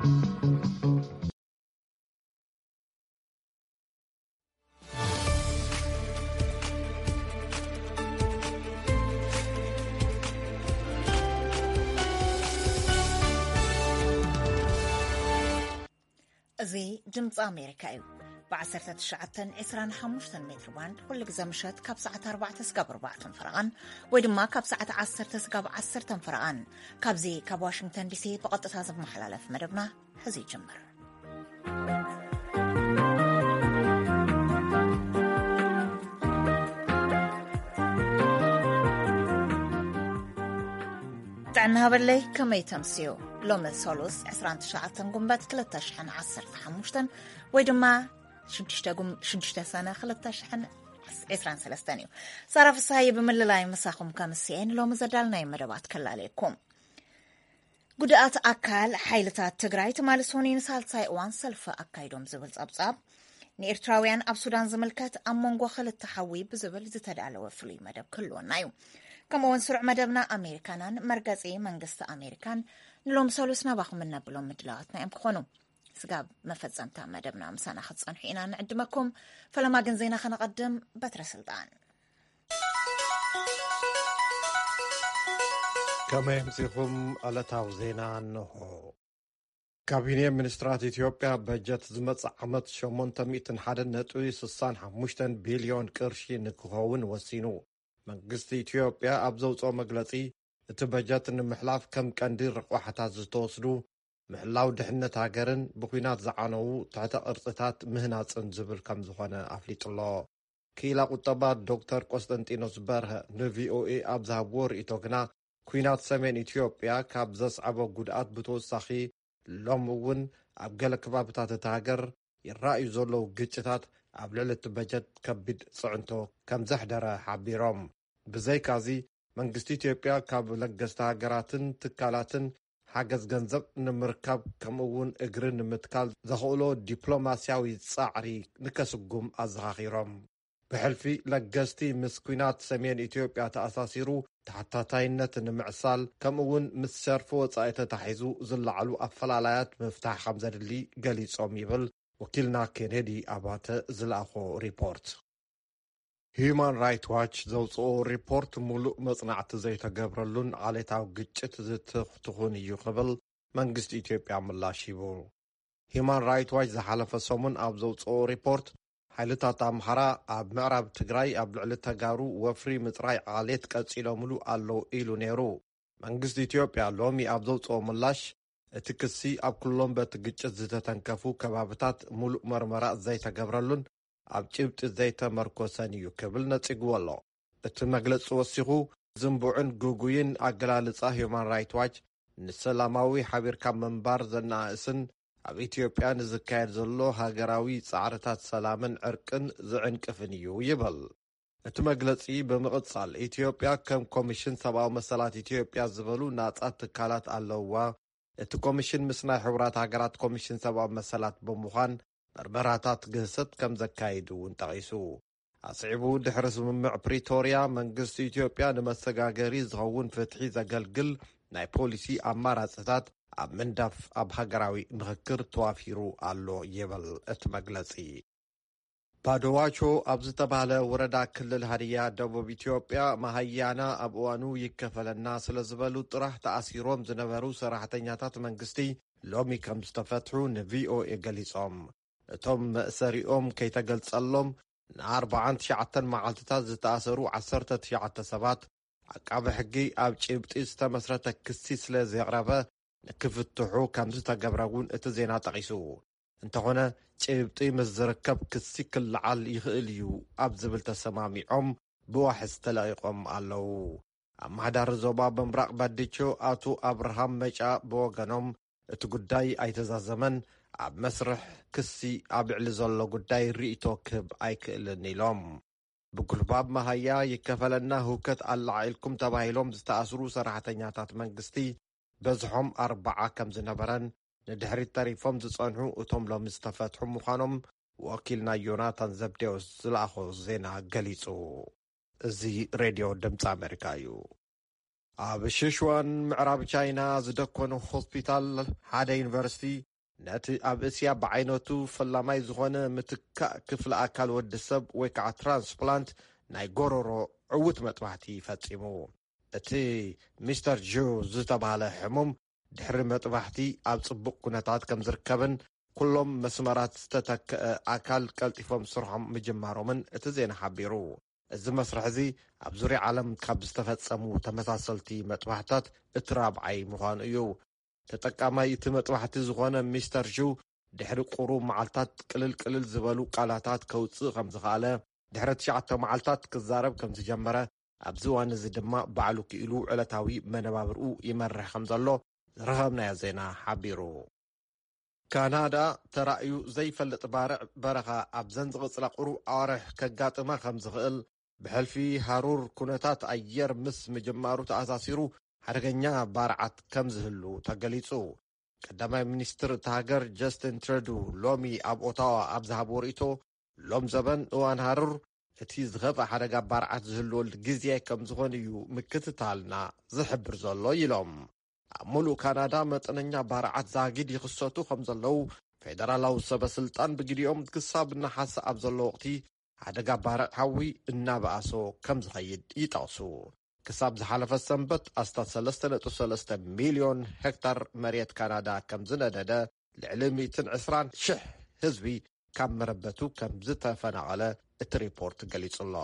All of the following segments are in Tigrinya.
እዚ ድምፂ ኣሜሪካ እዩ። ብ19 25 ሜትር ባንድ ኩሉ ግዜ ምሸት ካብ ሰዓት ኣርባዕተ ስጋብ ኣርባዕተ ፈረቓን ወይ ድማ ካብ ሰዓት ዓሰርተ ስጋብ ዓሰርተ ፈረቓን ካብዚ ካብ ዋሽንግተን ዲሲ ብቐጥታ ዝመሓላለፍ መደብና ሕዚ ይጅምር። ጥዕና ሃበለይ፣ ከመይ ተምስዩ? ሎሚ ሰሉስ ዕስራን ትሽዓተን ጉንበት ክልተ ሽሕን ዓሰርተ ሓሙሽተን ወይ ድማ ሽዱሽተ ጉም-፣ ሽዱሽተ ሰነ ክልተ ሽሕን ዕስራን ሰለስተን እዩ። ሳራ ፍስሃየ ብምልላይ ምሳኹም ከምስኤን ሎሚ ዘዳልናይ መደባት ከላለየኩም። ጉድኣት ኣካል ሓይልታት ትግራይ ትማሊ ሰኑይ ንሳልሳይ እዋን ሰልፊ ኣካይዶም ዝብል ጸብጻብ፣ ንኤርትራውያን ኣብ ሱዳን ዝምልከት ኣብ መንጎ ክልተ ሓዊ ብዝብል ዝተዳለወ ፍሉይ መደብ ክህልወና እዩ። ከምኡ እውን ስሩዕ መደብና ኣሜሪካናን መርገጺ መንግስቲ ኣሜሪካን ንሎም ሰሉስ ናባኹም እነብሎም ምድላዋትና እዮም ክኾኑ። ስጋብ መፈጸምታ መደብና ምሳና ክትጸንሑ ኢና ንዕድመኩም። ፈለማ ግን ዜና ከነቐድም። በትረ ስልጣን። ከመይ ኣምሲኹም? ዕለታዊ ዜና እንሆ። ካቢኔ ሚኒስትራት ኢትዮጵያ በጀት ዝመጽእ ዓመት ሸሞንተ ሚእትን ሓደን ነጥቢ ስሳን ሓሙሽተን ቢልዮን ቅርሺ ንክኸውን ወሲኑ። መንግስቲ ኢትዮጵያ ኣብ ዘውፅኦ መግለፂ፣ እቲ በጀት ንምሕላፍ ከም ቀንዲ ረቋሕታት ዝተወስዱ ምሕላው ድሕነት ሃገርን ብኲናት ዝዓነዉ ትሕተ ቅርጽታት ምህናጽን ዝብል ከም ዝኾነ ኣፍሊጡ ኣሎ። ክኢላ ቁጠባ ዶክተር ቆስጠንጢኖስ በርሀ ንቪኦኤ ኣብ ዝሃብዎ ርእይቶ ግና፣ ኲናት ሰሜን ኢትዮጵያ ካብ ዘስዓቦ ጉድኣት ብተወሳኺ፣ ሎም እውን ኣብ ገለ ከባብታት እታ ሃገር ይረኣዩ ዘለዉ ግጭታት ኣብ ልዕሊ እቲ በጀት ከቢድ ጽዕንቶ ከም ዘሕደረ ሓቢሮም። ብዘይካዚ፣ መንግስቲ ኢትዮጵያ ካብ ለገስቲ ሃገራትን ትካላትን ሓገዝ ገንዘብ ንምርካብ፣ ከምኡ እውን እግሪ ንምትካል ዘኽእሎ ዲፕሎማስያዊ ጻዕሪ ንከስጉም ኣዘኻኺሮም። ብሕልፊ ለገስቲ ምስ ኲናት ሰሜን ኢትዮጵያ ተኣሳሲሩ ተሓታታይነት ንምዕሳል፣ ከምኡ እውን ምስ ሸርፊ ወጻኢ ተታሒዙ ዝለዓሉ ኣፈላላያት ምፍታሕ ከም ዘድሊ ገሊጾም ይብል ወኪልና ኬኔዲ ኣባተ ዝለኣኾ ሪፖርት። ሂዩማን ራይት ዋች ዘውፅኦ ሪፖርት፣ ሙሉእ መጽናዕቲ ዘይተገብረሉን ዓሌታዊ ግጭት ዝትኽትኹን እዩ ክብል መንግስቲ ኢትዮጵያ ምላሽ ሂቡ። ሂዩማን ራይት ዋች ዝሓለፈ ሰሙን ኣብ ዘውፅኦ ሪፖርት፣ ሓይልታት ኣምሓራ ኣብ ምዕራብ ትግራይ ኣብ ልዕሊ ተጋሩ ወፍሪ ምፅራይ ዓሌት ቀፂሎምሉ ኣለዉ ኢሉ ነይሩ። መንግስቲ ኢትዮጵያ ሎሚ ኣብ ዘውፅኦ ምላሽ፣ እቲ ክሲ ኣብ ኩሎም በቲ ግጭት ዝተተንከፉ ከባብታት ሙሉእ መርመራ ዘይተገብረሉን ኣብ ጭብጢ ዘይተመርኮሰን እዩ ክብል ነጺግዎ ኣሎ። እቲ መግለጺ ወሲኹ፣ ዝንቡዕን ግጉይን ኣገላልጻ ሂዩማን ራይት ዋች፣ ንሰላማዊ ሓቢርካ ምንባር ዘነኣእስን ኣብ ኢትዮጵያ ንዝካየድ ዘሎ ሃገራዊ ጻዕርታት ሰላምን ዕርቅን ዝዕንቅፍን እዩ ይብል። እቲ መግለጺ ብምቕጻል፣ ኢትዮጵያ ከም ኮሚሽን ሰብኣዊ መሰላት ኢትዮጵያ ዝበሉ ናጻ ትካላት ኣለውዋ። እቲ ኮሚሽን ምስ ናይ ሕቡራት ሃገራት ኮሚሽን ሰብኣዊ መሰላት ብምዃን መርመራታት ግህሰት ከም ዘካይድ እውን ጠቒሱ። ኣስዒቡ፣ ድሕሪ ስምምዕ ፕሪቶርያ፣ መንግስቲ ኢትዮጵያ ንመሰጋገሪ ዝኸውን ፍትሒ ዘገልግል ናይ ፖሊሲ ኣማራጽታት ኣብ ምንዳፍ ኣብ ሃገራዊ ምኽክር ተዋፊሩ ኣሎ ይብል እቲ መግለጺ። ባዶዋቾ ኣብ ዝተባህለ ወረዳ ክልል ሃዲያ ደቡብ ኢትዮጵያ፣ መሃያና ኣብ እዋኑ ይከፈለና ስለ ዝበሉ ጥራሕ ተኣሲሮም ዝነበሩ ሰራሕተኛታት መንግስቲ ሎሚ ከም ዝተፈትሑ ንቪኦኤ ገሊጾም። እቶም መእሰሪኦም ከይተገልጸሎም ንኣርባዓን ትሽዓተን መዓልትታት ዝተኣሰሩ ዓሰርተ ትሽዓተ ሰባት፣ ዓቃቢ ሕጊ ኣብ ጭብጢ ዝተመስረተ ክሲ ስለ ዘቕረበ፣ ንክፍትሑ ከም ዝተገብረ እውን እቲ ዜና ጠቒሱ። እንተኾነ፣ ጭብጢ ምስ ዝርከብ ክሲ ክለዓል ይኽእል እዩ ኣብ ዝብል ተሰማሚዖም ብዋሕስ ተለቒቖም ኣለዉ። ኣመሓዳሪ ዞባ ምብራቕ ባዲቾ ኣቶ ኣብርሃም መጫ ብወገኖም፣ እቲ ጉዳይ ኣይተዛዘመን፣ ኣብ መስርሕ ክሲ ኣብ ልዕሊ ዘሎ ጉዳይ ርእይቶ ክህብ ኣይክእልን ኢሎም። ብጉልባብ መሃያ ይከፈለና ህውከት ኣላዒልኩም ተባሂሎም ዝተኣስሩ ሰራሕተኛታት መንግስቲ በዝሖም ኣርባዓ ከም ዝነበረን፣ ንድሕሪት ተሪፎም ዝጸንሑ እቶም ሎሚ ዝተፈትሑ ምዃኖም ወኪልና ዮናታን ዘብዴዎስ ዝለኣኾ ዜና ገሊጹ። እዚ ሬድዮ ድምፂ ኣሜሪካ እዩ። ኣብ ሽሽዋን ምዕራብ ቻይና ዝደኮነ ሆስፒታል ሓደ ዩኒቨርሲቲ ነቲ ኣብ እስያ ብዓይነቱ ፈላማይ ዝኾነ ምትካእ ክፍለ ኣካል ወዲ ሰብ ወይ ከዓ ትራንስፕላንት ናይ ጎረሮ ዕውት መጥባሕቲ ፈጺሙ። እቲ ሚስተር ጁ ዝተባህለ ሕሙም ድሕሪ መጥባሕቲ ኣብ ጽቡቕ ኩነታት ከም ዝርከብን ኩሎም መስመራት ዝተተክአ ኣካል ቀልጢፎም ስርሖም ምጅማሮምን እቲ ዜና ሓቢሩ። እዚ መስርሕ እዚ ኣብ ዙርያ ዓለም ካብ ዝተፈጸሙ ተመሳሰልቲ መጥባሕታት እቲ ራብዓይ ምዃኑ እዩ። ተጠቃማይ እቲ መጥባሕቲ ዝኾነ ሚስተር ጁ ድሕሪ ቁሩብ መዓልታት ቅልል ቅልል ዝበሉ ቃላታት ከውጽእ ከም ዝኸኣለ፣ ድሕሪ ትሽዓተ መዓልታት ክዛረብ ከም ዝጀመረ፣ ኣብዚ እዋን እዚ ድማ ባዕሉ ክኢሉ ዕለታዊ መነባብርኡ ይመርሕ ከም ዘሎ ዝረኸብናዮ ዜና ሓቢሩ። ካናዳ ተራእዩ ዘይፈልጥ ባርዕ በረኻ ኣብዘን ዝቕጽላ ቁሩብ ኣዋርሕ ከጋጥማ ከም ዝኽእል፣ ብሕልፊ ሃሩር ኩነታት ኣየር ምስ ምጅማሩ ተኣሳሲሩ ሓደገኛ ባርዓት ከም ዝህሉ ተገሊጹ። ቀዳማይ ሚኒስትር እታ ሃገር ጀስቲን ትረዱ ሎሚ ኣብ ኦታዋ ኣብ ዝሃብዎ ርእይቶ፣ ሎም ዘበን እዋን ሃሩር እቲ ዝኸፍኣ ሓደጋ ባርዓት ዝህልወሉ ግዜ ከም ዝኾነ እዩ ምክትታልና ዝሕብር ዘሎ ኢሎም። ኣብ ሙሉእ ካናዳ መጠነኛ ባርዓት ዛጊድ ይኽሰቱ ከም ዘለዉ ፌደራላዊ ሰበ ስልጣን ብግዲኦም ክሳብ ነሓሰ ኣብ ዘሎ ወቕቲ ሓደጋ ባርዕ ሓዊ እናበኣሶ ከም ዝኸይድ ይጠቕሱ። ክሳብ ዝሓለፈ ሰንበት ኣስታት ሰለስተ ነጥቢ ሰለስተ ሚልዮን ሄክታር መሬት ካናዳ ከም ዝነደደ፣ ልዕሊ ሚእትን ዕስራን ሽሕ ህዝቢ ካብ መረበቱ ከም ዝተፈናቐለ እቲ ሪፖርት ገሊጹ ኣሎ።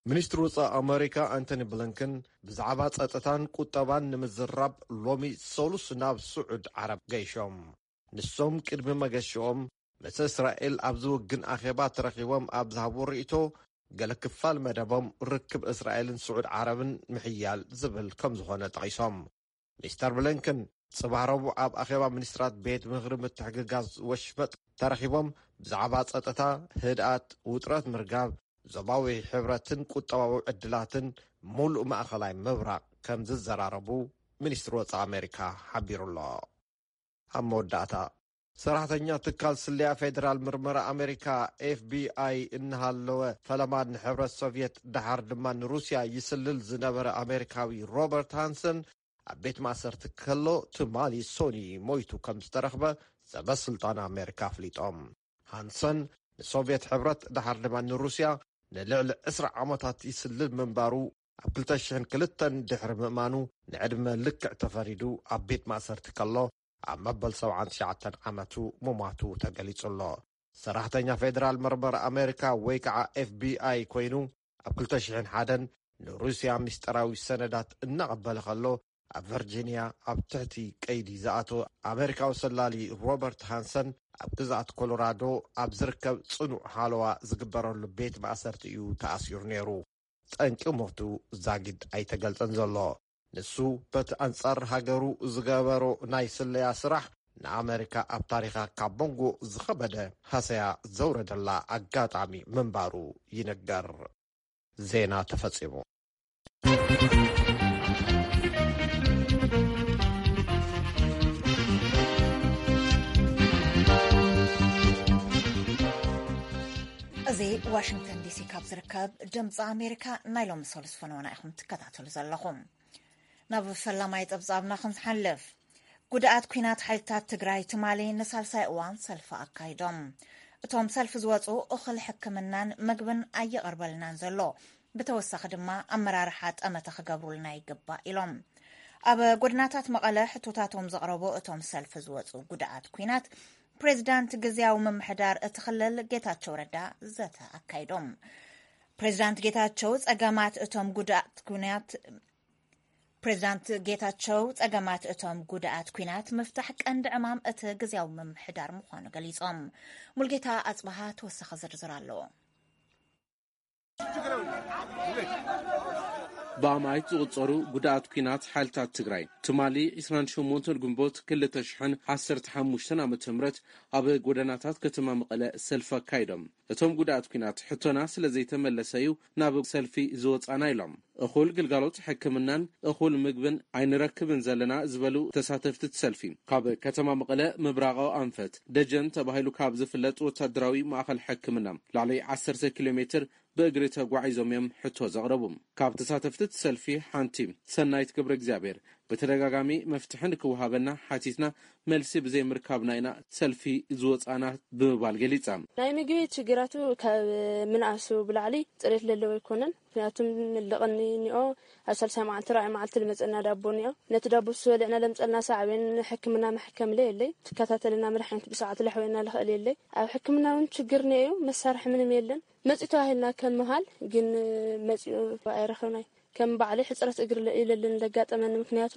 ሚኒስትሪ ወጻኢ ኣመሪካ ኣንቶኒ ብሊንከን ብዛዕባ ጸጥታን ቁጠባን ንምዝራብ ሎሚ ሰሉስ ናብ ስዑድ ዓረብ ገይሾም። ንሶም ቅድሚ መገሽኦም ምስ እስራኤል ኣብ ዝውግን ኣኼባ ተረኺቦም ኣብ ዝሃብዎ ርእይቶ፣ ገለ ክፋል መደቦም ርክብ እስራኤልን ስዑድ ዓረብን ምሕያል ዝብል ከም ዝኾነ ጠቒሶም። ሚስተር ብሊንከን ጽባሕ ረቡዕ ኣብ ኣኼባ ሚኒስትራት ቤት ምኽሪ ምትሕግጋዝ ወሽመጥ ተረኺቦም ብዛዕባ ጸጥታ፣ ህድኣት፣ ውጥረት ምርጋብ፣ ዞባዊ ሕብረትን ቁጠባዊ ዕድላትን ሙሉእ ማእኸላይ ምብራቕ ከም ዝዘራረቡ ሚኒስትሪ ወጻኢ ኣሜሪካ ሓቢሩ ኣሎ። ኣብ መወዳእታ፣ ሰራሕተኛ ትካል ስለያ ፌደራል ምርመራ ኣሜሪካ ኤፍ ቢ ኣይ እናሃለወ፣ ፈለማ ንሕብረት ሶቭየት፣ ደሓር ድማ ንሩስያ ይስልል ዝነበረ ኣሜሪካዊ ሮበርት ሃንሰን ኣብ ቤት ማእሰርቲ ከሎ፣ ትማሊ ሶኒ ሞይቱ ከም ዝተረኽበ ሰበ ስልጣን ኣሜሪካ ኣፍሊጦም። ሃንሰን ንሶቭየት ሕብረት፣ ደሓር ድማ ንሩስያ ንልዕሊ ዕስራ ዓመታት ይስልል ምንባሩ ኣብ ክልተ ሽሕን ክልተን ድሕሪ ምእማኑ፣ ንዕድመ ልክዕ ተፈሪዱ ኣብ ቤት ማእሰርቲ ከሎ፣ ኣብ መበል ሰብዓን ትሽዓተን ዓመቱ ምሟቱ ተገሊጹ ኣሎ። ሰራሕተኛ ፌደራል መርመራ ኣሜሪካ ወይ ከዓ ኤፍ ቢ ኣይ ኮይኑ፣ ኣብ ክልተ ሽሕን ሓደን ንሩስያ ምስጢራዊ ሰነዳት እናቐበለ ከሎ፣ ኣብ ቨርጂንያ ኣብ ትሕቲ ቀይዲ ዝኣተወ ኣሜሪካዊ ሰላሊ ሮበርት ሃንሰን፣ ኣብ ግዝኣት ኮሎራዶ ኣብ ዝርከብ ጽኑዕ ሃለዋ ዝግበረሉ ቤት ማእሰርቲ እዩ ተኣሲሩ ነይሩ። ጠንቂ ሞቱ ዛጊድ ኣይተገልጸን ዘሎ። ንሱ በቲ ኣንጻር ሃገሩ ዝገበሮ ናይ ስለያ ስራሕ፣ ንኣመሪካ ኣብ ታሪኻ ካብ መንጎ ዝኸበደ ሃሰያ ዘውረደላ ኣጋጣሚ ምንባሩ ይንገር። ዜና ተፈጺሙ። እዚ ዋሽንግተን ዲሲ ካብ ዝርከብ ድምፂ ኣሜሪካ ናይ ሎሚ ሰሉስ ፈነወና ኢኹም ትከታተሉ ዘለኹም። ናብ ፈላማይ ጸብጻብና ክንሓልፍ፣ ጉድኣት ኲናት ሓይልታት ትግራይ ትማሊ ንሳልሳይ እዋን ሰልፊ ኣካይዶም። እቶም ሰልፊ ዝወፁ እኹል ሕክምናን ምግብን ኣየቐርበልናን ዘሎ፣ ብተወሳኺ ድማ ኣመራርሓ ጠመተ ክገብሩልና ይግባእ ኢሎም። ኣብ ጎድናታት መቐለ ሕቶታቶም ዘቕረቡ እቶም ሰልፊ ዝወፁ ጉድኣት ኲናት፣ ፕሬዚዳንት ግዝያዊ ምምሕዳር እቲ ክልል ጌታቸው ረዳ ዘተ ኣካይዶም። ፕሬዚዳንት ጌታቸው ጸገማት እቶም ጉድኣት ኲናት ፕሬዚዳንት ጌታቸው ጸገማት እቶም ጉድኣት ኲናት ምፍታሕ ቀንዲ ዕማም እቲ ግዝያዊ ምምሕዳር ምዃኑ ገሊጾም። ሙልጌታ ኣጽበሃ ተወሳኺ ዝርዝር ኣለዎ። ብኣማኢት ዝቑጸሩ ጉድኣት ኲናት ሓይልታት ትግራይ ትማሊ ዕስራን ሸሞንተን ግንቦት ክልተ ሽሕን ዓሰርተ ሓሙሽተን ዓመተ ምህረት ኣብ ጎደናታት ከተማ መቐለ ሰልፊ ኣካይዶም። እቶም ጉድኣት ኲናት ሕቶና ስለ ዘይተመለሰ እዩ ናብ ሰልፊ ዝወጻና ኢሎም። እኹል ግልጋሎት ሕክምናን እኹል ምግብን ኣይንረክብን ዘለና ዝበሉ ተሳተፍቲ እቲ ሰልፊ፣ ካብ ከተማ መቐለ ምብራቓዊ ኣንፈት ደጀን ተባሂሉ ካብ ዝፍለጥ ወታደራዊ ማእኸል ሕክምና ልዕሊ ዓሰርተ ኪሎ ሜትር ብእግሪ ተጓዒዞም እዮም ሕቶ ዘቕረቡ። ካብ ተሳተፍቲ እቲ ሰልፊ ሓንቲ ሰናይት ገብረ እግዚኣብሔር ብተደጋጋሚ መፍትሒ ንክወሃበና ሓቲትና፣ መልሲ ብዘይምርካብና ኢና ሰልፊ ዝወፃና ብምባል ገሊፃ። ናይ ምግቢ ችግራቱ ካብ ምንኣሱ ብላዕሊ ፅሬት ለለዎ ኣይኮነን። ምክንያቱም ልቕኒ እኒኦ ኣብ ሳልሳይ መዓልቲ ራብዓይ መዓልቲ ልመፀና ዳቦ እኒኦ። ነቲ ዳቦ ስበልዕና ለምፀልና ሳዕቤን ሕክምና መሕከምለ የለይ። ትከታተልና መድሓኒት ብሰዓት ለሕወና ልኽእል የለይ። ኣብ ሕክምና እውን ችግር እኒኦ እዩ። መሳርሒ ምንም የለን። መፂኡ ተባሂልና ከም ምሃል ግን መፂኡ ኣይረኸብናይ። ከም ባዕለይ ሕፅረት እግሪ ኢለልን ለጋጠመኒ። ምክንያቱ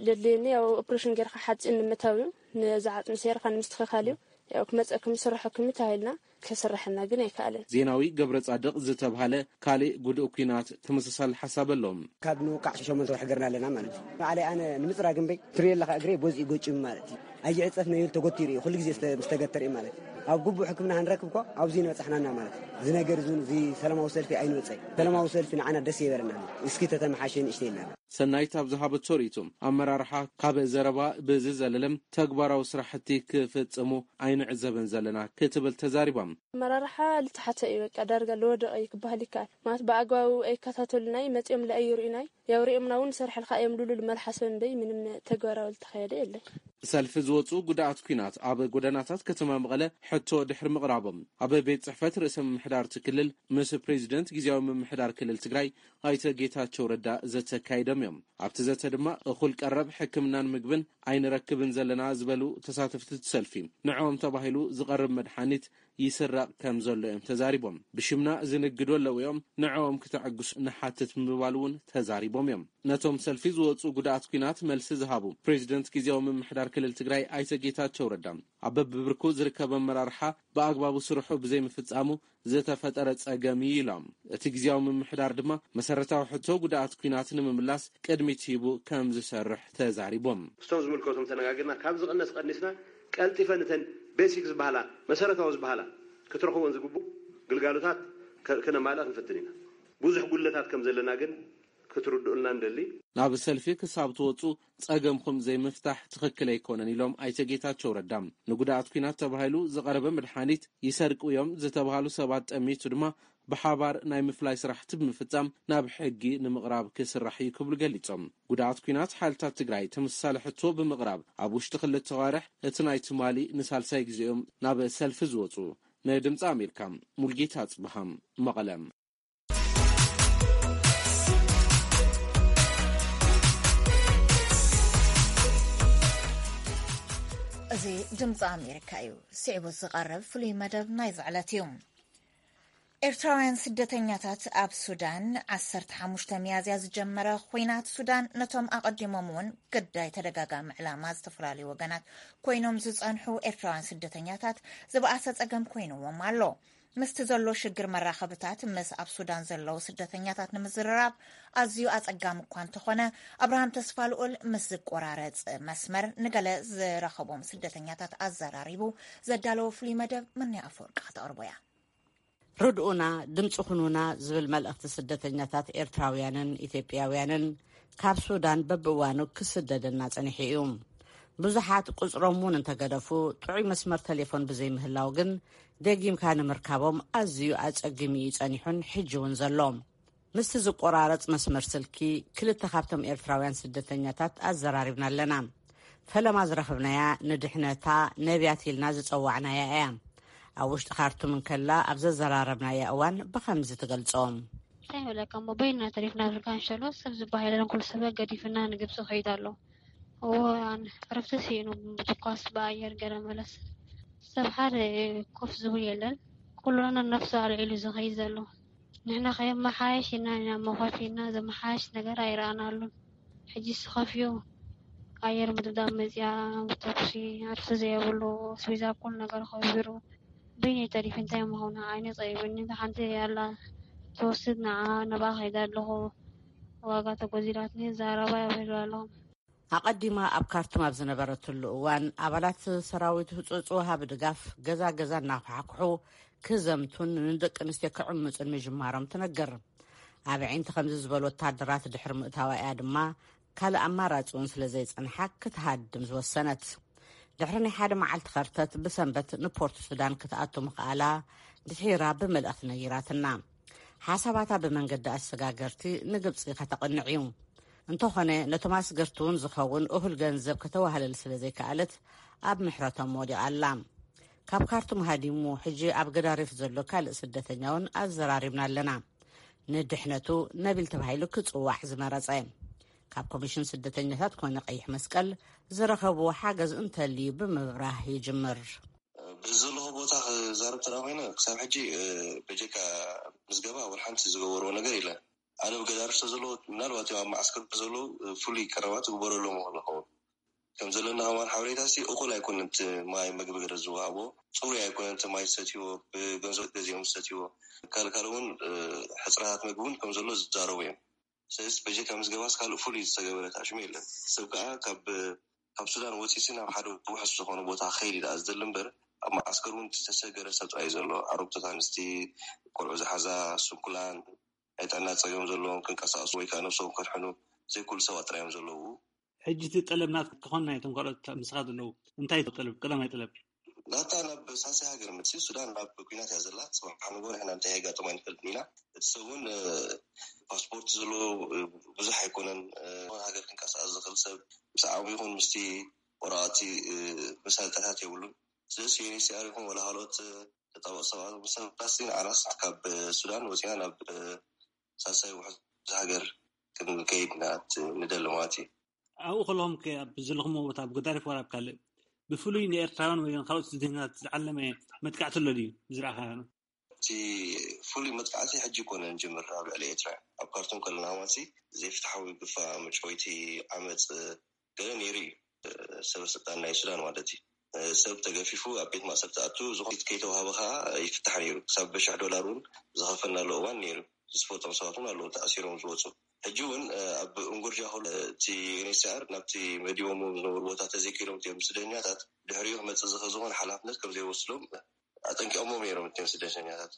ለድልየኒ ያው ኦፕሬሽን ጌርካ ሓፂን ንምታው እዩ። ነዚ ዓፅሚ ሰይርካ ንምስትኽኻል እዩ። ያው ክመፀኩም ስርሐኩም ተባሂልና። ከስርሐና ግን ኣይከኣለን። ዜናዊ ገብረ ጻድቕ ዝተባሃለ ካልእ ጉዱእ ኲናት ተመሳሳሊ ሓሳብ ኣለዎም። ካብ ንውቃዕ ሸሞንተ ወርሒ ገርና ኣለና ማለት እዩ። ባዕለይ ኣነ ንምፅራግ እምበይ ትሪኦ ኣለካ እግረይ በዚኡ ገጭም ማለት እዩ። ኣይዕፀፍ ነይሩ ተጎቲሩ እዩ ኩሉ ግዜ ምስ ተገተረ ማለት እዩ። ኣብ ግቡእ ሕክምና ክንረክብ እኮ ኣብዚ ንበፃሕናና ማለት እዩ። እዚ ነገር እዚ እውን እዚ ሰላማዊ ሰልፊ ኣይንወፀይ። ሰላማዊ ሰልፊ ንዓና ደስ የበለና። እስኪ ተተመሓሸ ንእሽተይ ኢልና። ሰናይት ኣብ ዝሃበቶ ርእይቶ፣ ኣመራርሓ ካብ ዘረባ ብዝዘለለ ተግባራዊ ስራሕቲ ክፍፅሙ ኣይንዕዘብን ዘለና ክትብል ተዛሪባ። ኣመራርሓ ልተሓተ እዩ፣ በቃ ዳርጋ ለወደቐ እዩ ክበሃል ይከኣል። ማለት ብኣግባቡ ኣይከታተሉናይ፣ መፂኦም ለኣይርኡናይ። ያው ሪኦምና እውን ንሰርሐልካ እዮም ልሉ ልመልሓሰብ እምበይ ምንም ተግባራዊ ልተኸየደ የለን። ሰልፊ ዝወፁ ጉዳኣት ኲናት ኣብ ጎደናታት ከተማ መቐለ ሕቶ ድሕሪ ምቕራቦም፣ ኣብ ቤት ፅሕፈት ርእሰ ምምሕዳር እቲ ክልል ምስ ፕሬዚደንት ግዜያዊ ምምሕዳር ክልል ትግራይ ኣይተ ጌታቸው ረዳ ዘተ ኣካይዶም እዮም። ኣብቲ ዘተ ድማ እኹል ቀረብ ሕክምናን ምግብን ኣይንረክብን ዘለና ዝበሉ ተሳተፍቲ እቲ ሰልፊ፣ ንዕኦም ተባሂሉ ዝቐርብ መድሓኒት ይስረቕ ከም ዘሎ እዮም ተዛሪቦም። ብሽምና ዝንግዱ ኣለዉ እዮም፣ ንዕኦም ክተዕግሱ ንሓትት ምባል እውን ተዛሪቦም እዮም። ነቶም ሰልፊ ዝወፁ ጉዳኣት ኲናት መልሲ ዝሃቡ ፕሬዚደንት ግዜያዊ ምምሕዳር ክልል ትግራይ ኣይተ ጌታቸው ረዳ፣ ኣብ በብብርኩ ዝርከብ ኣመራርሓ ብኣግባቡ ስርሑ ብዘይምፍፃሙ ዝተፈጠረ ፀገም እዩ ኢሎም። እቲ ግዜያዊ ምምሕዳር ድማ መሰረታዊ ሕቶ ጉዳኣት ኲናት ንምምላስ ቅድሚት ሂቡ ከም ዝሰርሕ ተዛሪቦም። ምስቶም ዝምልከቶም ተነጋጊርና ካብ ዝቕነስ ቀኒስና ቀልጢፈ ንተን ቤሲክ ዝበሃላ መሰረታዊ ዝበሃላ ክትረኽቦን ዝግቡ ግልጋሎታት ከ- ከነማልእ ክንፍትን ኢና። ብዙሕ ጉድለታት ከም ዘለና ግን ክትርድኡልና ንደሊ። ናብ ሰልፊ ክሳብ ትወፁ ፀገምኹም ዘይምፍታሕ ትኽክል ኣይኮነን ኢሎም ኣይተ ጌታቸው ረዳ። ንጉዳኣት ኲናት ተባሂሉ ዝቐረበ መድሓኒት ይሰርቁ እዮም ዝተባሃሉ ሰባት ጠሚቱ ድማ ብሓባር ናይ ምፍላይ ስራሕቲ ብምፍፃም ናብ ሕጊ ንምቕራብ ክስራሕ እዩ ክብሉ ገሊፆም። ጉዳኣት ኲናት ሓይልታት ትግራይ ተመሳሳሊ ሕቶ ብምቕራብ ኣብ ውሽጢ ክልተ ዋርሕ እቲ ናይ ትማሊ ንሳልሳይ ግዜኦም ናብ ሰልፊ ዝወፁ። ንድምፂ ኣሜሪካ ሙልጌታ ኣፅብሃ መቐለ። እዚ ድምፂ ኣሜሪካ እዩ። ስዒቡ ዝቐርብ ፍሉይ መደብ ናይዚ ዕለት እዩ። ኤርትራውያን ስደተኛታት ኣብ ሱዳን፣ ዓሰርተ ሓሙሽተ ሚያዝያ ዝጀመረ ኹናት ሱዳን ነቶም ኣቐዲሞም እውን ግዳይ ተደጋጋሚ ዕላማ ዝተፈላለዩ ወገናት ኮይኖም ዝጸንሑ ኤርትራውያን ስደተኛታት ዝበኣሰ ጸገም ኮይንዎም ኣሎ። ምስቲ ዘሎ ሽግር መራኸብታት ምስ ኣብ ሱዳን ዘለዉ ስደተኛታት ንምዝርራብ ኣዝዩ ኣጸጋሚ እኳ እንተኾነ፣ ኣብርሃም ተስፋልኡል ምስ ዝቆራረጽ መስመር ንገለ ዝረኸቦም ስደተኛታት ኣዘራሪቡ ዘዳለዎ ፍሉይ መደብ ምንያ ኣፈወርቂ ከተቕርቦ እያ። ርድኡና፣ ድምፂ ኩኑና ዝብል መልእኽቲ ስደተኛታት ኤርትራውያንን ኢትዮጵያውያንን ካብ ሱዳን በብእዋኑ ክስደደና ጸኒሑ እዩ። ብዙሓት ቁፅሮም እውን እንተገደፉ፣ ጥዑይ መስመር ቴሌፎን ብዘይምህላው ግን ደጊምካ ንምርካቦም ኣዝዩ ኣጸጊሙ እዩ ጸኒሑን ሕጂ እውን ዘሎ። ምስቲ ዝቆራረጽ መስመር ስልኪ ክልተ ካብቶም ኤርትራውያን ስደተኛታት ኣዘራሪብና ኣለና። ፈለማ ዝረኽብናያ ንድሕነታ ነብያት ኢልና ዝጸዋዕናያ እያ። ኣብ ውሽጢ ካርቱም እንከላ ኣብ ዘዘራረብናያ እዋን ብኸምዚ ትገልጾ። እንታይ ይብለካ እሞ በይንና ተሪፍና ብልካ ንሸሎ ሰብ ዝበሃል የለን፣ ኩሉ ሰብ ገዲፍና ንግብፂ ከይድ ኣሎ። እዋን ዕረፍቲ ስኢኑ ብትኳስ ብኣየር ገለ መለስ ሰብ ሓደ ኮፍ ዝብል የለን። ኩሉ ነነፍሱ ኣልዒሉ ዝኸይድ ዘሎ። ንሕና ከየመሓየሽ ኢና ኢና መኸፊልና ዘመሓየሽ ነገር ኣይረኣናሉን። ሕጂ ስኸፍዩ ኣየር ምድብዳብ መፅያ ተኩሲ ዕርፊ ዘየብሉ ኣስቤዛ ኩሉ ነገር ከቢሩ በይነይ ተሪፊ እንታይ ምኾነ ዓይነ ፀቢቡኒ ሓንቲ ኣላ ትወስድ ንዓ ነብኣ ከይደ ኣለኹ ዋጋ ተጎዚላትኒ ዛረባ የብሉ ኣለኹም። ኣቐዲማ ኣብ ካርቱም ኣብ ዝነበረትሉ እዋን ኣባላት ሰራዊት ህፁፅ ወሃቢ ድጋፍ ገዛ ገዛ እናኳሕኩሑ ክዘምቱን ንደቂ ኣንስትዮ ክዕምፁን ምጅማሮም ትነግር። ኣብ ዒንቲ ከምዚ ዝበሉ ወታደራት ድሕሪ ምእታዋ እያ ድማ ካልእ ኣማራፂ እውን ስለ ዘይፀንሓ ክትሃድም ዝወሰነት። ድሕሪ ናይ ሓደ መዓልቲ ኸርተት ብሰንበት ንፖርት ሱዳን ክትኣቱ ምኽኣላ ድሒራ ብመልእኽቲ ነጊራትና። ሓሳባታ ብመንገዲ ኣሰጋገርቲ ንግብፂ ከተቕንዕ እዩ። እንተኾነ፣ ነቶም ኣስገርቲ እውን ዝኸውን እኹል ገንዘብ ከተዋህለል ስለ ዘይከኣለት፣ ኣብ ምሕረቶም ወዲቓ ኣላ። ካብ ካርቱም ሃዲሙ ሕጂ ኣብ ገዳሪፍ ዘሎ ካልእ ስደተኛ እውን ኣዘራሪብና ኣለና። ንድሕነቱ ነቢል ተባሂሉ ክጽዋዕ ዝመረጸ፣ ካብ ኮሚሽን ስደተኛታት ኮነ ቀይሕ መስቀል ዝረኸብዎ ሓገዝ እንተልዩ ብምብራህ ይጅምር። ብዘለኹ ቦታ ክዛረብ ተዳ ኮይነ፣ ክሳብ ሕጂ በጀካ ምዝገባ ወላ ሓንቲ ዝገበርዎ ነገር የለን። ኣነ ብገዳርፍ ስለ ዘለኹ፣ ምናልባት ኣብ መዓስከር ዘለዉ ፍሉይ ቀረባት ይግበረሎም ይኽእል ይኸውን። ከም ዘለና ከማን ሓበሬታ ሲ እኹል ኣይኮነን። እቲ ማይ መግቢ ገለ ዝወሃቦ ጽሩይ ኣይኮነን። እቲ ማይ ዝሰትይዎ ብገንዘብ ገዚኦም ዝሰትይዎ፣ ካልካል እውን ሕፅረታት መግቢ እውን ከም ዘሎ ዝዛረቡ እዮም። ስለዚ በጀካ ምዝገባስ ካልእ ፍሉይ ዝተገበረ ታሽሙ የለን። ሰብ ከዓ ካብ ካብ ሱዳን ወፂሲ ናብ ሓደ ውሕስ ዝኾነ ቦታ ከይድ ዳ ዝደሊ እምበር፣ ኣብ መዓስከር እውን ዝተሰገረ ሰብ ጥራይ ዘሎ። ኣሮግቶት ኣንስቲ፣ ቆልዑ ዝሓዛ፣ ስንኩላን፣ ናይ ጥዕና ፀገም ዘለዎም ክንቀሳቀሱ ወይ ከዓ ነብሶም ከድሕኑ ዘይክእሉ ሰባት ጥራይ እዮም ዘለዉ። ሕጂ እቲ ጠለብ ናት ክኾን ናይቶም ካልኦት ምሳኻ ዘለዉ እንታይ እዩ ጠለብ? ቀዳማይ ጠለብ ናታ ናብ ሳልሳይ ሃገር ምድሲ ሱዳን ናብ ኩናት እያ ዘላ። ጽባሕ ንጎ ንሕና እንታይ የጋጥማ ኣይንፈልጥን ኢና። እቲ ሰብ እውን ፓስፖርት ዘለዎ ብዙሕ ኣይኮነን። ሃገር ክንቀሳቀስ ዝኽእል ሰብ ምስ ዓቕሚ ይኹን ምስቲ ወረቐቲ መሳለጥያታት የብሉን። ስለዚ ዩኤንኤችሲኣር ይኹን ወላ ካልኦት ተጣበቕ ሰባት ምሰባሲ ንዓናስ ካብ ሱዳን ወፂና ናብ ሳልሳይ ውሕዝ ሃገር ክንከይድ ኢና ንደሊ ማለት እዩ። ኣብኡ ከለኹም ከ ኣብ ዘለኹምዎ ቦታ ኣብ ገዳሪፍ ወላ ኣብ ካልእ ብፍሉይ ንኤርትራውያን ወይ ካልኦት ስደተኛታት ዝዓለመ መጥቃዕቲ ኣሎ ድዩ ዝረኣኻ? እቲ ፍሉይ መጥቃዕቲ ሕጂ ይኮነ ንጅምር ኣብ ልዕሊ ኤርትራ ኣብ ካርቱም ከለና ማለት ዘይፍትሓዊ ግፋ መጭወይቲ ዓመፅ ገለ ነይሩ እዩ። ሰበ ስልጣን ናይ ሱዳን ማለት እዩ። ሰብ ተገፊፉ ኣብ ቤት ማእሰርቲ ኣቱ ዝኾነ ከይተዋሃበ ከዓ ይፍታሕ ነይሩ። ክሳብ በሽሕ ዶላር እውን ዝኸፈልናሉ እዋን ነይሩ። ዝስፈጦም ሰባት እውን ኣለዉ ተኣሲሮም ዝወፁ። ሕጂ እውን ኣብ እንጉርጃ ከሎ እቲ ዩኤንኤችሲኣር ናብቲ መዲቦሞ ዝነበሩ ቦታ ተዘይከይዶም እቲኦም ስደተኛታት ድሕሪኡ ክመፅእ ዝኽእል ዝኾነ ሓላፍነት ከም ዘይወስዶም ኣጠንቂቖሞም ነይሮም እቲኦም ስደተኛታት።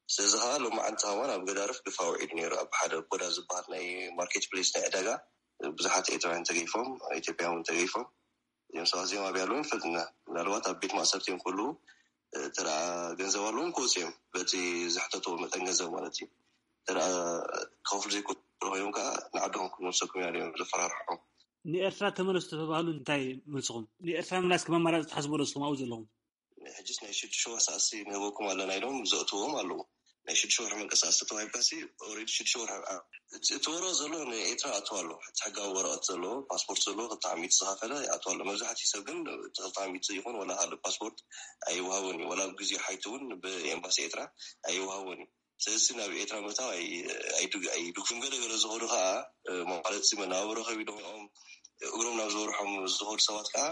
ስለዚ ከዓ ሎማዓንቲ ከማን ኣብ ገዳርፍ ግፋ ውዒዱ ነይሩ። ኣብ ሓደ ኮዳ ዝበሃል ናይ ማርኬት ፕሌስ ናይ ዕዳጋ ብዙሓት ኤርትራውያን ተገይፎም፣ ኢትዮጵያውያን እውን ተገይፎም እዮም። ሰባት እዚኦም ኣብያ ኣለዉ ንፈልጥ ኢና። ምናልባት ኣብ ቤት ማእሰርቲ እዮም ክህልዉ፣ ተደኣ ገንዘብ ኣለዎም ክወፁ እዮም። በቲ ዝሕተትዎ መጠን ገንዘብ ማለት እዩ። ተደኣ ክኸፍሉ ዘይክእሉ ኮይኖም ከዓ ንዓድኹም ክንመልሰኩም ኢና እዮም ዘፈራርሖም። ንኤርትራ ተመለሱ ተባህሉ እንታይ መልስኹም? ንኤርትራ ምምላስ ከም ኣማራፂ ትሓስቡ ዶ ንስኹም ኣብኡ ዘለኹም? ሕጅስ ናይ ሽዱሽተ ወርሒ ሰኣሲ ንህበኩም ኣለና ኢሎም ዘእትዎም ኣለዉ። ናይ ሽዱሽተ ወርሒ መንቀሳቀሲ ተዋሂብካሲ ኦልሬዲ ሽዱሽተ ወርሒ ኣ-፣ እቲ እቲ ወረቐት ዘለዎ ንኤርትራ ኣእትዋ ኣሎ። እቲ ሕጋዊ ወረቐት ዘለዎ ፓስፖርት ዘለዎ ክልተ ሚእቲ ዝኸፈለ ይኣትዋ ኣሎ። መብዛሕትኡ ሰብ ግን እቲ ክልተ ሚእቲ ይኹን ወላ ካልእ ፓስፖርት ኣይወሃቦን እዩ። ወላ ኣብ ግዜ ሓይቲ እውን ብኤምባሲ ኤርትራ ኣይወሃቦን እዩ። ስለዚ ናብ ኤርትራ ምእታው ኣይ-፣ ኣይድግ-፣ ኣይድግፉን። ገለ ገለ ዝኸዱ ከዓ፣ እ፣ ማለት እዚ መነባብሮ ከቢዶም እዮም። እግሮም ናብ ዝበርሖም ዝኸዱ ሰባት ከዓ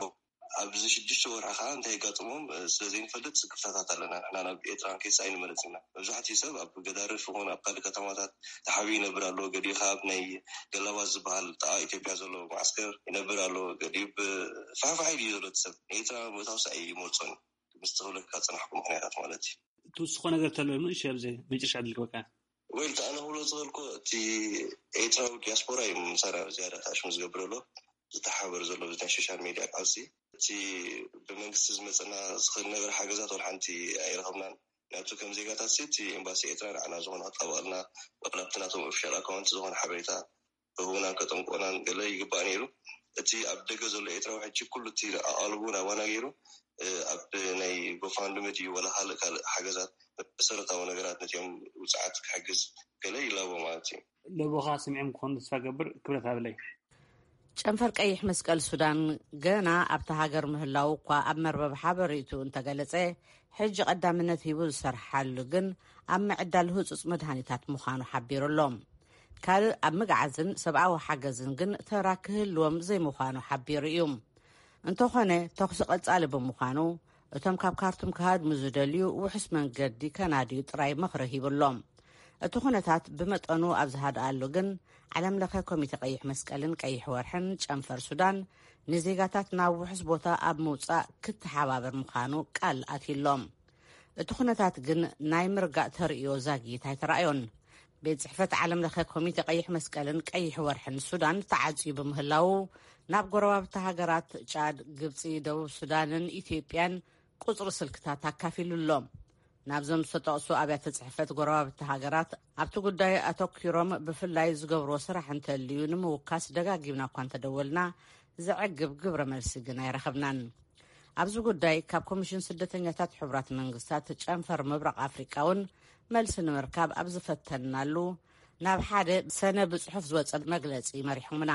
ኣብዚ ሽዱሽተ ወርሒ ከዓ እንታይ የጋጥሞም፣ እ፣ ስለ ዘይንፈልጥ ስክፍታታት ኣለና። ንሕና ናብ ኤርትራ ክንከይድስ ኣይንመርጽ ኢና። መብዛሕትኡ ሰብ ኣብ ገዳርፍ ይኹን ኣብ ካልእ ከተማታት ተሓቢኡ ይነብር ኣሎ። ገሊኡ ከዓ ኣብ ናይ ገላባት ዝበሃል ጥቓ ኢትዮጵያ ዘሎ መዓስከር ይነብር ኣሎ። ገሊኡ ብ-፣ ፋሕፋሕ ኢሉ እዩ ዘሎ እቲ ሰብ። ንኤርትራ ምእታውስ ኣይመርጾን እዩ። ምስ ዝኽብለካ ዝጸናሕኩ ምኽንያታት ማለት እዩ። ትውስኾ ነገር ተሎ ንእሽቶ ኣብዚ መጨረሻ ዕድል ክበካ። ወይ፣ እቲ ኣነ ክብሎ ዝኽእልኩ፣ እቲ ኤርትራዊ ዲያስፖራ እዩ ምሳና ዝያዳ ተኣሽሙ ዝገብር ዘሎ፣ ዝተሓባበር ዘሎ፣ እዚ ናይ ሶሻል ሜድያ ቃልሲ። እቲ ብመንግስቲ ዝመጸና ዝኽእል ነገር ሓገዛት ወላ ሓንቲ ኣይረኸብናን። ምክንያቱ ከም ዜጋታት ሲ፣ እቲ ኤምባሲ ኤርትራ ንዓና ዝኾነ ክጣበቐልና፣ ወላ ኣብቲ ናቶም ኦፊሻል ኣካውንት ዝኾነ ሓበሬታ ክህቡናን ከጠንቅቑናን ገለ ይግባእ ነይሩ። እቲ ኣብ ደገ ዘሎ ኤርትራዊ ሕጂ ኩሉ እቲ ኣቓልቡ ናባና ገይሩ፣ እ፣ ኣብ ናይ ጎፋንድሚ ድዩ ወላ ካልእ ካልእ ሓገዛት መሰረታዊ ነገራት ነቲኦም ውጽዓት ክሕግዝ ገለ ይላቦ ማለት እዩ። ለቦኻ ስሚዖም ክኾኑ ተስፋ ገብር። ክብረት ሃበለይ። ጨንፈር ቀይሕ መስቀል ሱዳን ገና ኣብታ ሃገር ምህላው እኳ ኣብ መርበብ ሓበሬቱ እንተገለጸ፣ ሕጂ ቀዳምነት ሂቡ ዝሰርሓሉ ግን ኣብ ምዕዳል ህጹጽ መድሃኒታት ምዃኑ ሓቢሩ ኣሎ። ካልእ ኣብ ምግዓዝን ሰብኣዊ ሓገዝን ግን ተራ ክህልዎም ዘይምዃኑ ሓቢሩ እዩ። እንተኾነ፣ ተኹሲ ቀጻሊ ብምዃኑ፣ እቶም ካብ ካርቱም ክሃድሙ ዝደልዩ ውሑስ መንገዲ ከናድዩ ጥራይ ምኽሪ ሂቡ ኣሎ። እቲ ኩነታት ብመጠኑ ኣብ ዝሃድኣሉ ግን፣ ዓለም ለኸ ኮሚተ ቀይሕ መስቀልን ቀይሕ ወርሕን ጨንፈር ሱዳን ንዜጋታት ናብ ውሑስ ቦታ ኣብ ምውጻእ ክተሓባበር ምዃኑ ቃል ኣትዩሎም። እቲ ኩነታት ግን ናይ ምርጋእ ተርእዮ ዛጊት ኣይተራእዮን። ቤት ጽሕፈት ዓለም ለኸ ኮሚተ ቀይሕ መስቀልን ቀይሕ ወርሕን ሱዳን ተዓጽዩ ብምህላዉ፣ ናብ ጎረባብቲ ሃገራት ጫድ፣ ግብጺ፣ ደቡብ ሱዳንን ኢትዮጵያን ቁጽሪ ስልክታት ኣካፊሉ ኣሎ። ናብዞም ዝተጠቕሱ ኣብያተ ጽሕፈት ጎረባብቲ ሃገራት ኣብቲ ጉዳይ ኣተኲሮም ብፍላይ ዝገብርዎ ስራሕ እንተልዩ ንምውካስ ደጋጊምና እኳ እንተደወልና፣ ዘዕግብ ግብረ መልሲ ግን ኣይረኸብናን። ኣብዚ ጉዳይ ካብ ኮሚሽን ስደተኛታት ሕቡራት መንግስታት ጨንፈር ምብራቕ ኣፍሪቃ እውን መልሲ ንምርካብ ኣብ ዝፈተንናሉ፣ ናብ ሓደ ሰነ ብጽሑፍ ዝወጸ መግለጺ መሪሖምና።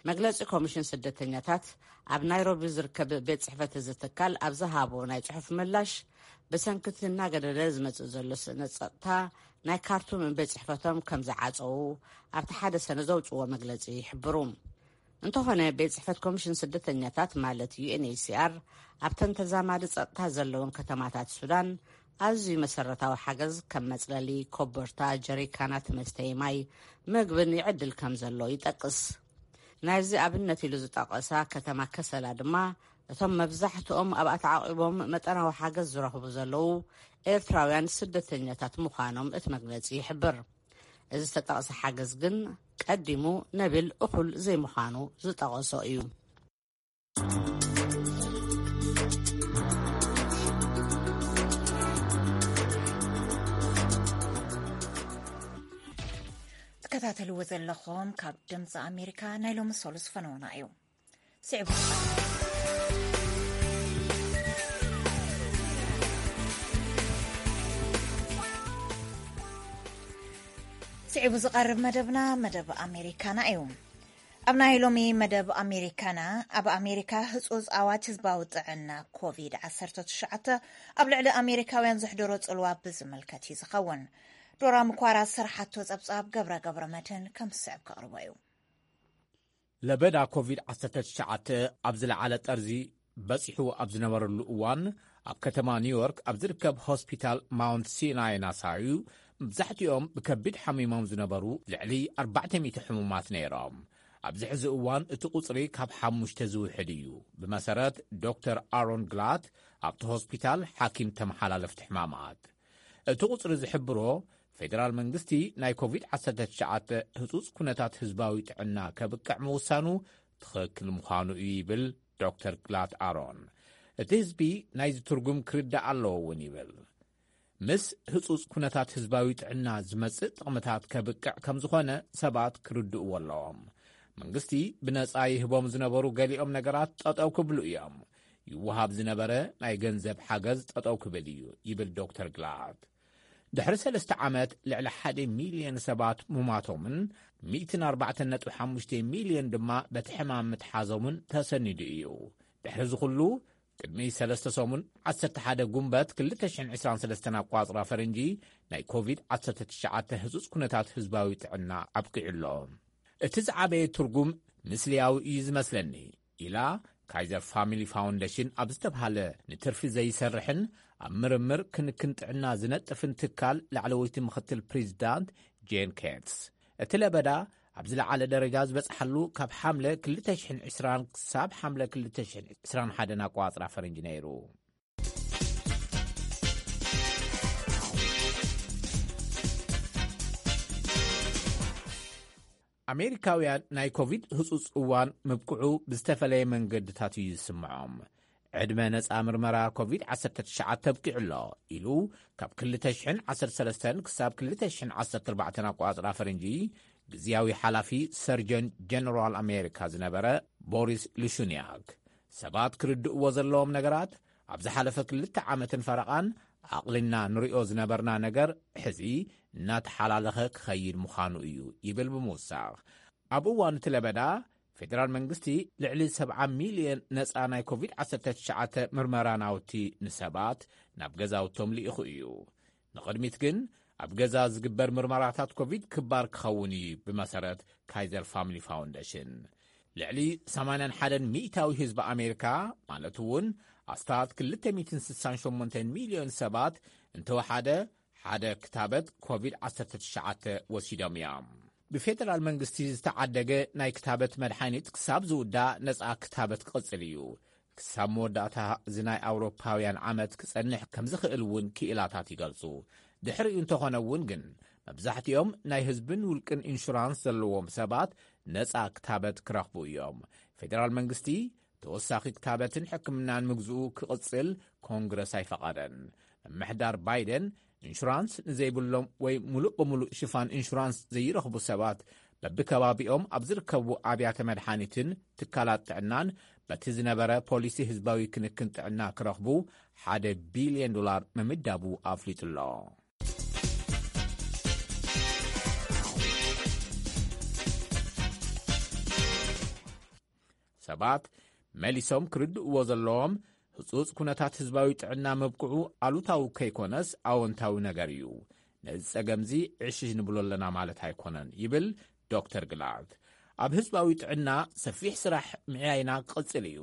መግለጺ ኮሚሽን ስደተኛታት ኣብ ናይሮቢ ዝርከብ ቤት ጽሕፈት እዚ ትካል ኣብ ዝሃቦ ናይ ጽሑፍ ምላሽ፣ ብሰንኪ እቲ እናገደደ ዝመጽእ ዘሎ ስእነት ጸጥታ፣ ናይ ካርቱም ቤት ጽሕፈቶም ከም ዝዓጸዉ ኣብቲ ሓደ ሰነ ዘውጽዎ መግለጺ ይሕብሩ። እንተኾነ፣ ቤት ጽሕፈት ኮሚሽን ስደተኛታት ማለት ዩ ኤን ኤች ሲ ኣር ኣብተን ተዛማዲ ጸጥታ ዘለውን ከተማታት ሱዳን ኣዝዩ መሰረታዊ ሓገዝ ከም መጽለሊ፣ ኮቦርታ፣ ጀሪካናት መስተዪ ማይ፣ ምግብን ይዕድል ከም ዘሎ ይጠቅስ። ናይዚ ኣብነት ኢሉ ዝጠቐሳ ከተማ ከሰላ ድማ፣ እቶም መብዛሕትኦም ኣብ ኣተዓቂቦም መጠናዊ ሓገዝ ዝረኽቡ ዘለዉ ኤርትራውያን ስደተኛታት ምዃኖም እቲ መግለጺ ይሕብር። እዚ ዝተጠቕሰ ሓገዝ ግን ቀዲሙ ነቢል እኹል ዘይምዃኑ ዝጠቐሶ እዩ። ትከታተልዎ ዘለኹም ካብ ድምፂ ኣሜሪካ ናይ ሎሚ ሰሉስ ፈነወና እዩ። ስዕቡ ስዒቡ ዝቐርብ መደብና መደብ ኣሜሪካና እዩ። ኣብ ናይ ሎሚ መደብ ኣሜሪካና፣ ኣብ ኣሜሪካ ህጹጽ ኣዋጅ ህዝባዊ ጥዕና ኮቪድ ዓሰርተ ትሽዓተ ኣብ ልዕሊ ኣሜሪካውያን ዘሕደሮ ጽልዋ ብዝምልከት እዩ ዝኸውን። ዶራ ምኳራ ዝሰርሓቶ ጸብጻብ ገብረ ገብረ መድህን ከም ዝስዕብ ከቕርቦ እዩ። ለበዳ ኮቪድ ዓሰርተ ትሽዓተ ኣብ ዝለዓለ ጠርዚ በጺሑ ኣብ ዝነበረሉ እዋን፣ ኣብ ከተማ ኒውዮርክ ኣብ ዝርከብ ሆስፒታል ማውንት ሲናይ ናሳዩ፣ መብዛሕትኦም ብከቢድ ሓሚሞም ዝነበሩ ልዕሊ ኣርባዕተ ሚእቲ ሕሙማት ነይሮም። ኣብዚ ሕዚ እዋን እቲ ቁጽሪ ካብ ሓሙሽተ ዝውሕድ እዩ። ብመሰረት ዶክተር ኣሮን ግላት፣ ኣብቲ ሆስፒታል ሓኪም ተመሓላለፍቲ ሕማማት፣ እቲ ቁጽሪ ዝሕብሮ፣ ፌደራል መንግስቲ ናይ ኮቪድ ዓሰርተ ትሽዓተ ህጹጽ ኩነታት ህዝባዊ ጥዕና ከብቅዕ ምውሳኑ ትኽክል ምዃኑ እዩ ይብል ዶክተር ግላት ኣሮን። እቲ ህዝቢ ናይዚ ትርጉም ክርዳእ ኣለዎ እውን ይብል። ምስ ህጹጽ ኩነታት ህዝባዊ ጥዕና ዝመጽእ ጥቕምታት ከብቅዕ ከም ዝኾነ ሰባት ክርድእዎ ኣለዎም። መንግስቲ ብነጻ ይህቦም ዝነበሩ ገሊኦም ነገራት ጠጠው ክብሉ እዮም። ይወሃብ ዝነበረ ናይ ገንዘብ ሓገዝ ጠጠው ክብል እዩ ይብል ዶክተር ግላት። ድሕሪ ሰለስተ ዓመት ልዕሊ ሓደ ሚልዮን ሰባት ምሟቶምን ሚእትን ኣርባዕተን ነጥቢ ሓሙሽተ ሚልዮን ድማ በቲ ሕማም ምትሓዞምን ተሰኒዱ እዩ። ድሕሪ እዚ ኩሉ፣ ቅድሚ ሰለስተ ሰሙን ዓሰርተ ሓደ ጉንበት ክልተ ሽሕን ዕስራን ሰለስተን ኣቋጽራ ፈረንጂ፣ ናይ ኮቪድ ዓሰርተ ትሽዓተ ህጹጽ ኩነታት ህዝባዊ ጥዕና ኣብቂዑ ኣሎ። እቲ ዝዓበየ ትርጉም ምስልያዊ እዩ ዝመስለኒ፣ ኢላ ካይዘር ፋሚሊ ፋውንዴሽን ኣብ ዝተብሃለ ንትርፊ ዘይሰርሕን ኣብ ምርምር ክንክን ጥዕና ዝነጥፍን ትካል ላዕለወይቲ ምኽትል ፕሬዚዳንት ጄን ኬትስ። እቲ ለበዳ ኣብ ዝለዓለ ደረጃ ዝበጽሓሉ ካብ ሓምለ ክልተ ሽሕን ዕስራን ክሳብ ሓምለ ክልተ ሽሕን ዕስራን ሓደን ኣቋጽራ ፈረንጂ ነይሩ። ኣሜሪካውያን ናይ ኮቪድ ህጹጽ እዋን ምብቅዑ ብዝተፈለየ መንገድታት እዩ ዝስምዖም። ዕድመ ነጻ ምርመራ ኮቪድ ዓሰርተ ትሽዓተ ኣብቂዑ ኣሎ ኢሉ ካብ ክልተ ሽሕን ዓሰርተ ሰለስተን ክሳብ ክልተ ሽሕን ዓሰርተ ኣርባዕተን ኣቋጽራ ፈረንጂ ግዝያዊ ሓላፊ ሰርጀን ጀነራል ኣሜሪካ ዝነበረ ቦሪስ ሉሹንያክ፣ ሰባት ክርድእዎ ዘለዎም ነገራት፣ ኣብ ዝሓለፈ ክልተ ዓመትን ፈረቓን ኣቕሊልና ንሪኦ ዝነበርና ነገር ሕዚ እናተሓላለኸ ክኸይድ ምዃኑ እዩ ይብል ብምውሳኽ፣ ኣብ እዋን እቲ ለበዳ ፌደራል መንግስቲ ልዕሊ ሰብዓ ሚልዮን ነጻ ናይ ኮቪድ ዓሰርተ ትሽዓተ ምርመራ ናውቲ ንሰባት ናብ ገዛውቶም ልኢኹ እዩ። ንቕድሚት ግን ኣብ ገዛ ዝግበር ምርመራታት ኮቪድ ክባር ክኸውን እዩ፣ ብመሰረት ካይዘር ፋሚሊ ፋውንዴሽን። ልዕሊ ሰማንያን ሓደን ሚእታዊ ህዝቢ ኣሜሪካ፣ ማለት እውን ኣስታት ክልተ ሚእትን ስሳን ሸሞንተን ሚልዮን ሰባት፣ እንተወሓደ ሓደ ክታበት ኮቪድ ዓሰርተ ትሽዓተ ወሲዶም እዮም። ብፌደራል መንግስቲ ዝተዓደገ ናይ ክታበት መድሓኒት ክሳብ ዝውዳእ ነጻ ክታበት ክቕጽል እዩ። ክሳብ መወዳእታ እዚ ናይ ኣውሮፓውያን ዓመት ክጸንሕ ከም ዝኽእል እውን ክኢላታት ይገልጹ። ድሕሪኡ እንተኾነ እውን ግን፣ መብዛሕትኦም ናይ ህዝብን ውልቅን ኢንሹራንስ ዘለዎም ሰባት ነጻ ክታበት ክረኽቡ እዮም። ፌደራል መንግስቲ ተወሳኺ ክታበትን ሕክምናን ምግዝኡ ክቕጽል ኮንግረስ ኣይፈቐደን። ምምሕዳር ባይደን፣ ኢንሹራንስ ንዘይብሎም ወይ ሙሉእ ብሙሉእ ሽፋን ኢንሹራንስ ዘይረኽቡ ሰባት በብከባቢኦም ኣብ ዝርከቡ ኣብያተ መድሓኒትን ትካላት ጥዕናን በቲ ዝነበረ ፖሊሲ ህዝባዊ ክንክን ጥዕና ክረኽቡ ሓደ ቢልዮን ዶላር ምምዳቡ ኣፍሊጡ ኣሎ። ሰባት መሊሶም ክርድእዎ ዘለዎም፣ ህጹጽ ኩነታት ህዝባዊ ጥዕና መብቅዑ ኣሉታዊ ከይኮነስ ኣወንታዊ ነገር እዩ። ነዚ ጸገምዚ ዕሽሽ ንብሎ ኣለና ማለት ኣይኮነን ይብል ዶክተር ግላርት። ኣብ ህዝባዊ ጥዕና ሰፊሕ ስራሕ ምዕያይና ክቕጽል እዩ።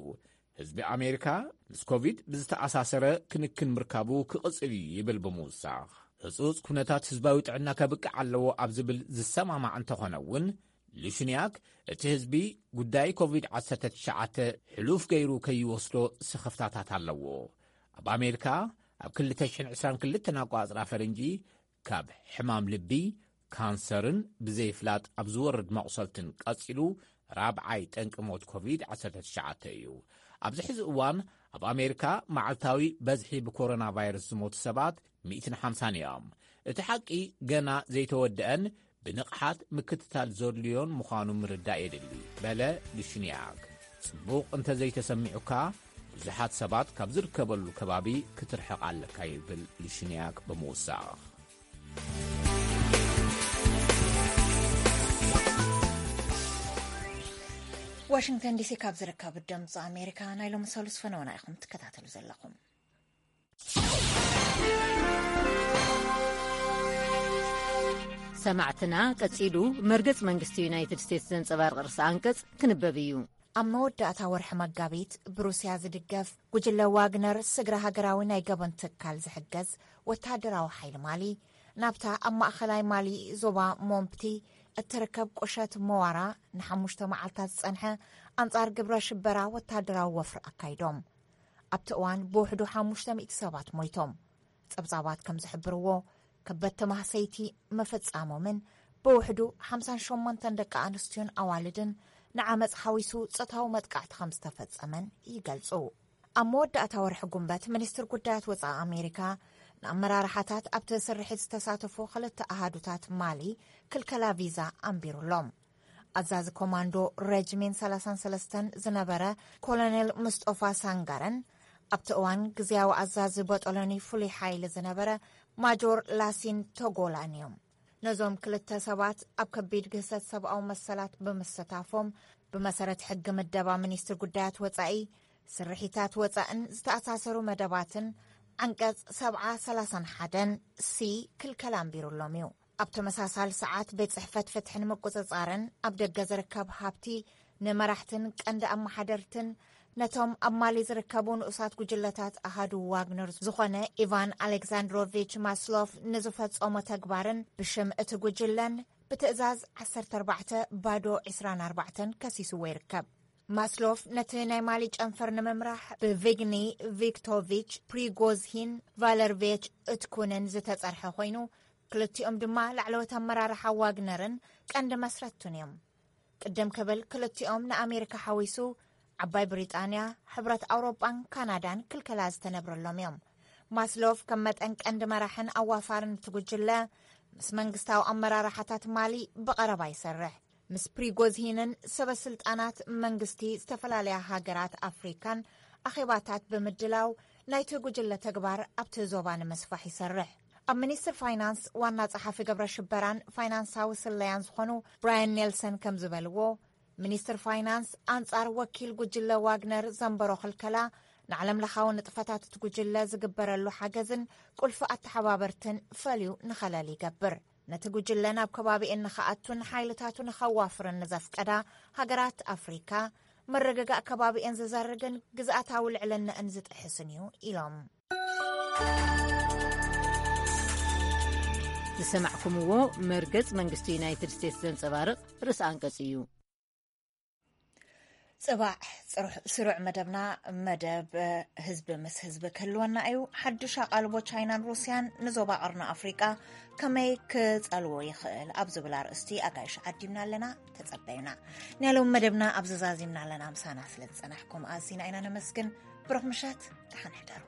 ህዝቢ ኣሜሪካ ምስ ኮቪድ ብዝተኣሳሰረ ክንክን ምርካቡ ክቕጽል እዩ ይብል ብምውሳኽ፣ ህጹጽ ኩነታት ህዝባዊ ጥዕና ከብቅዕ ኣለዎ ኣብ ዝብል ዝሰማማዕ እንተኾነ እውን፣ ሉሽንያክ እቲ ህዝቢ ጉዳይ ኮቪድ ዓሰርተ ትሽዓተ ሕሉፍ ገይሩ ከይወስዶ ስኽፍታታት ኣለዎ። ኣብ ኣሜሪካ ኣብ ክልተ ሽሕን ዕስራን ክልተን ኣቋጽራ ፈረንጂ ካብ ሕማም ልቢ፣ ካንሰርን ብዘይፍላጥ ኣብ ዝወርድ መቑሰልትን ቀጺሉ ራብዓይ ጠንቂ ሞት ኮቪድ ዓሰርተ ትሽዓተ እዩ። ኣብዚ ሕዚ እዋን ኣብ ኣሜሪካ መዓልታዊ በዝሒ ብኮሮና ቫይረስ ዝሞቱ ሰባት ሚእትን ሓምሳን እዮም። እቲ ሓቂ ገና ዘይተወደአን ብንቕሓት ምክትታል ዘድልዮን ምዃኑ ምርዳእ የድሊ፣ በለ ሉሽንያክ። ጽቡቕ እንተዘይተሰሚዑካ፣ ብዙሓት ሰባት ካብ ዝርከበሉ ከባቢ ክትርሕቕ ኣለካ፣ ይብል ሉሽንያክ ብምውሳኽ። ዋሽንግተን ዲሲ ካብ ዝርከብ ድምፂ ኣሜሪካ ናይ ሎሚ ሰሉስ ፈነወና ኢኹም ትከታተሉ ዘለኹም። ሰማዕትና፣ ቀጺሉ መርገጽ መንግስቲ ዩናይትድ ስቴትስ ዘንጸባርቕ ርእሰ ኣንቀጽ ክንበብ እዩ። ኣብ መወዳእታ ወርሒ መጋቢት ብሩስያ ዝድገፍ ጉጅለ ዋግነር ስግረ ሃገራዊ ናይ ገበን ትካል ዝሕገዝ ወተሃደራዊ ሓይሊ ማሊ ናብታ ኣብ ማእኸላይ ማሊ ዞባ ሞምፕቲ እትርከብ ቁሸት መዋራ ንሓሙሽተ መዓልታት ዝጸንሐ ኣንጻር ግብረ ሽበራ ወተሃደራዊ ወፍሪ ኣካይዶም። ኣብቲ እዋን ብውሕዱ ሓሙሽተ ሚእቲ ሰባት ሞይቶም። ጸብጻባት ከም ዝሕብርዎ፣ ከበድቲ ማህሰይቲ ምፍጻሞምን ብውሕዱ ሓምሳን ሸሞንተን ደቂ ኣንስትዮን ኣዋልድን ንዓመጽ ሓዊሱ ጾታዊ መጥቃዕቲ ከም ዝተፈጸመን ይገልጹ። ኣብ መወዳእታ ወርሒ ጉንበት፣ ሚኒስትር ጉዳያት ወጻኢ ኣሜሪካ ንኣመራርሓታት ኣብቲ ስርሒት ዝተሳተፉ ክልተ ኣሃዱታት ማሊ ክልከላ ቪዛ ኣንቢሩሎም። ኣዛዚ ኮማንዶ ረጅሜንት ሰላሳን ሰለስተን ዝነበረ ኮሎኔል ምስጦፋ ሳንጋረን ኣብቲ እዋን ግዝያዊ ኣዛዚ ቦጦሎኒ ፍሉይ ሓይሊ ዝነበረ ማጆር ላሲን ቶጎላን እዮም። ነዞም ክልተ ሰባት ኣብ ከቢድ ግህሰት ሰብኣዊ መሰላት ብምስታፎም፣ ብመሰረት ሕጊ ምደባ ሚኒስትሪ ጉዳያት ወጻኢ፣ ስርሒታት ወጻእን ዝተኣሳሰሩ መደባትን ዓንቀጽ ሰብዓ ሰላሳን ሓደን ሲ ክልከላ ኣንቢሩሎም እዩ። ኣብ ተመሳሳሊ ሰዓት፣ ቤት ጽሕፈት ፍትሕን ምቁጽጻርን ኣብ ደገ ዝርከብ ሃብቲ ንመራሕትን ቀንዲ ኣመሓደርትን ነቶም ኣብ ማሊ ዝርከቡ ንኡሳት ጉጅለታት ኣሃዱ ዋግነር ዝኾነ ኢቫን ኣሌክዛንድሮቪች ማስሎፍ ንዝፈጸሞ ተግባርን ብሽም እቲ ጉጅለን ብትእዛዝ ዓሰርተ ኣርባዕተ ባዶ ዕስራን ኣርባዕተን ከሲስዎ ይርከብ። ማስሎፍ ነቲ ናይ ማሊ ጨንፈር ንምምራሕ ብቪግኒ ቪክቶቪች ፕሪጎዝሂን ቫለርቬች እትኩንን ዝተጸርሐ ኮይኑ፣ ክልቲኦም ድማ ላዕለዎት ኣመራርሓ ዋግነርን ቀንዲ መስረቱን እዮም። ቅድም ክብል ክልቲኦም ንኣሜሪካ ሓዊሱ ዓባይ ብሪጣንያ፣ ሕብረት ኣውሮጳን ካናዳን ክልከላ ዝተነብረሎም እዮም። ማስሎቭ ከም መጠን ቀንዲ መራሕን ኣዋፋርን እቲ ጉጅለ፣ ምስ መንግስታዊ ኣመራርሓታት ማሊ ብቐረባ ይሰርሕ። ምስ ፕሪጎዝሂንን ሰበ ስልጣናት መንግስቲ ዝተፈላለያ ሃገራት ኣፍሪካን ኣኼባታት ብምድላው ናይቲ ጉጅለ ተግባር ኣብቲ ዞባ ንምስፋሕ ይሰርሕ። ኣብ ሚኒስትር ፋይናንስ ዋና ጸሓፊ ግብረ ሽበራን ፋይናንሳዊ ስለያን ዝኾኑ ብራያን ኔልሰን ከም ዝበልዎ፣ ሚኒስትር ፋይናንስ ኣንጻር ወኪል ጉጅለ ዋግነር ዘንበሮ ክልከላ ንዓለም ለኻዊ ንጥፈታት እቲ ጉጅለ ዝግበረሉ ሓገዝን ቁልፊ ኣተሓባበርትን ፈልዩ ንኸለል ይገብር። ነቲ ጉጅለ ናብ ከባቢኤን ንኸኣቱን ሓይልታቱ ንኸዋፍርን ንዘፍቀዳ ሃገራት ኣፍሪካ፣ ምርግጋእ ከባቢኤን ዝዘርግን ግዝኣታዊ ልዕልነአን ዝጥሕስን እዩ ኢሎም። ዝሰማዕኩምዎ መርገጽ መንግስቲ ዩናይትድ ስቴትስ ዘንጸባርቕ ርእሰ ኣንቀጽ እዩ። ጽባሕ ጽሩሕ ስሩዕ መደብና፣ መደብ ህዝቢ ምስ ህዝቢ ክህልወና እዩ። ሓድሽ ኣቓልቦ ቻይናን ሩስያን ንዞባ ቀርኒ ኣፍሪቃ ከመይ ክጸልዎ ይኽእል ኣብ ዝብል ኣርእስቲ ኣጋይሽ ዓዲምና ኣለና። ተጸበዩና። ናይ ሎም መደብና ኣብ ዘዛዚምና ኣለና። ምሳና ስለ ዝጸናሕኩም ኣዚና ኢና ነመስግን። ብሩኽ ምሸት፣ ደሓን ሕደሩ።